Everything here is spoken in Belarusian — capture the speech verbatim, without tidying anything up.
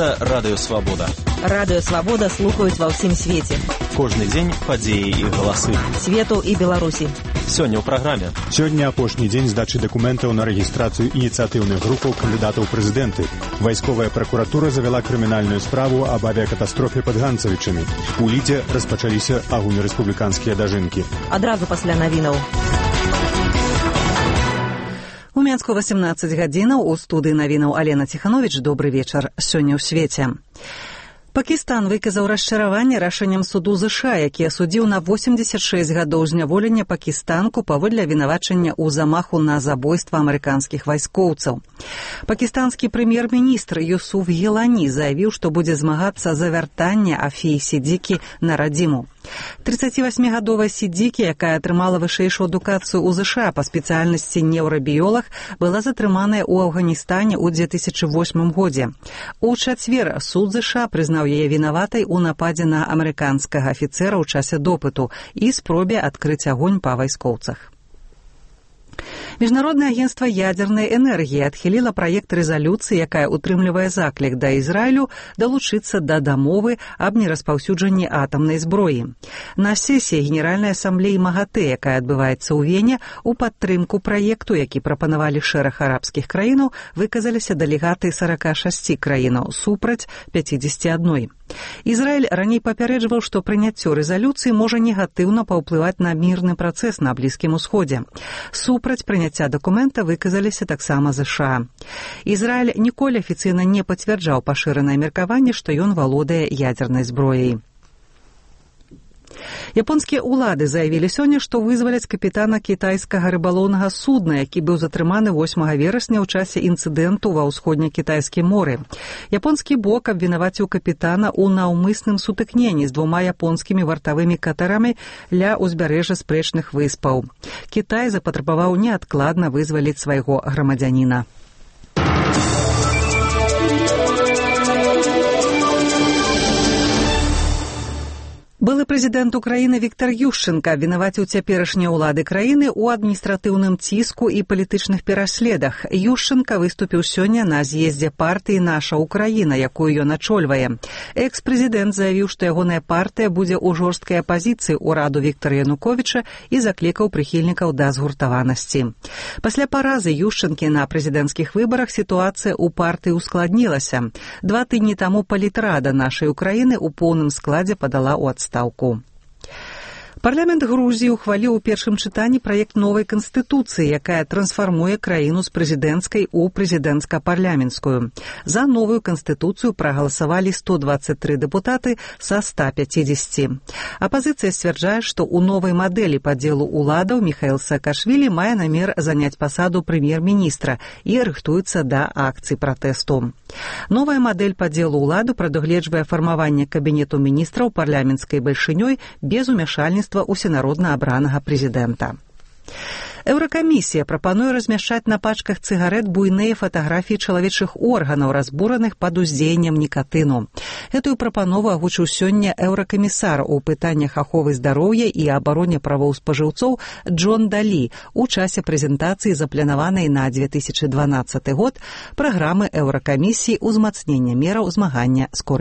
Гэта Радыё Свабода. Радыё Свабода слухаюць ва ўсім свеце. Кожны дзень падзеі і галасы. Свету і Беларусі. Сёння ў праграме. Сёння апошні дзень здачы дакументаў на рэгістрацыю ініцыятыўных групаў кандыдатаў ў прэзідэнты. Вайсковая пракуратура завяла крымінальную справу аб авіякатастрофе пад Ганцавічамі. У Лідзе распачаліся агульнарэспубліканскія дажынкі. Адразу пасля навінаў. У Мінску васемнаццаць гадзінаў, у студыі навінаў Алена Ціхановіч. Добры вечар. Сёння ў свеце. Пакістан выказаў расчараванне рашэннем суду ЗША, які асудзіў на восемьдесят шесть гадоў зняволення пакістанку паводле абвінавачання ў замаху на забойства амерыканскіх вайскоўцаў. Пакістанскі прэм'ер-міністр Юсуф Гілані заявіў, што будзе змагацца за вяртанне Афіі Сідзікі на радзіму. тридцативосьмигадовая Сідзікі, якая атрымала вышэйшую адукацыю ў ЗША па спецыяльнасці неўрабіёлаг, была затрыманая ў Афганістане ў две тысячи восьмым годзе. У чацвер суд ЗША прызнаў яе вінаватай у нападзе на амерыканскага афіцэра ў часе допыту і спробе адкрыць агонь па вайскоўцах. Міжнароднае агенцтва ядзернай энергіі адхіліла праект рэзалюцыі, якая утрымлівае заклік да Ізраілю далучыцца да дамовы аб нераспаўсюджанні атамнай зброі. На сесіі Генеральнай асамблеі МАГАТЭ, якая адбываецца ў Вене, у падтрымку праекту, які прапанавалі шэраг арабскіх краінаў, выказаліся дэлегаты сорока шасці краінаў супраць пяцідзесяці адной. Ізраіль раней папярэджваў, што прыняццё рэзалюцыі можа негатыўна паўплываць на мірны працэс на Блізкім Усходзе. Супраць прыняцця дакумента выказаліся таксама ЗША. Ізраіль ніколі афіцыйна не пацвярджаў пашыранае меркаванне, што ён валодае ядзернай зброяй. Японскія ўлады заявілі сёння, што вызваляць капітана кітайскага рыбалоўнага судна, які быў затрыманы восьмага верасня ў часе інцыдэнту ва ўсходне-кітайскім моры. Японскі бок абвінаваціў капітана ў наўмысным сутыкненні з двума японскімі вартавымі катарамі ля ўзбярэжжа спрэчных выспаў. Кітай запатрабаваў неадкладна вызваліць свайго грамадзяніна. Былы прэзідэнт Украіны Віктар Ющэнка абвінаваціў цяперашнія ўлады краіны ў адміністратыўным ціску і палітычных пераследах. Ющэнка выступіў сёння на з'ездзе партыі «Наша Украіна», якую ён ачольвае. Экс-прэзідэнт заявіў, што ягоная партыя будзе ў жорсткай апазіцыі ўраду Віктара Януковіча і заклікаў прыхільнікаў да згуртаванасці. Пасля паразы Ющэнкі на прэзідэнцкіх выбарах сітуацыя ў партыі ускладнілася. Два тыдні таму палітрада «Нашай Украіны» у поўным складзе падала ў адстаўку. Парламент Грузіі ухваліў у першым чытанні праект новай канстытуцыі, якая трансфармуе краіну з прэзідэнцкай у прэзідэнцка-парламенцкую. За новую канстытуцыю прагаласавалі сто двадцать три дэпутаты са ста пяцідзесяці. Апазіцыя сцвярджае, што ў новай мадэлі падзелу ўладаў Міхаіл Саакашвілі мае намер заняць пасаду прэм'ер-міністра і рыхтуецца да акцый пратэсту. Новая мадэль падзелу ўладу прадугледжвае фармаванне кабінету міністраў парламенцкай бальшынёй без умяшальніцтва усенародна абранага прэзідэнта. Еўракамісія прапануе размяшчаць на пачках цыгарэт буйныя фатаграфіі чалавечых органаў, разбураных пад уздзеяннем нікатыну. Гэтую прапанову агучыў сёння еўракамісар у пытаннях аховы здароўя і абароне правоў спажыўцоў Джон Далі у часе прэзентацыі, запланаванай на две тысячи дванаццаты год, праграмы еўракамісіі ўзмацнення мераў змагання з корупцыяй.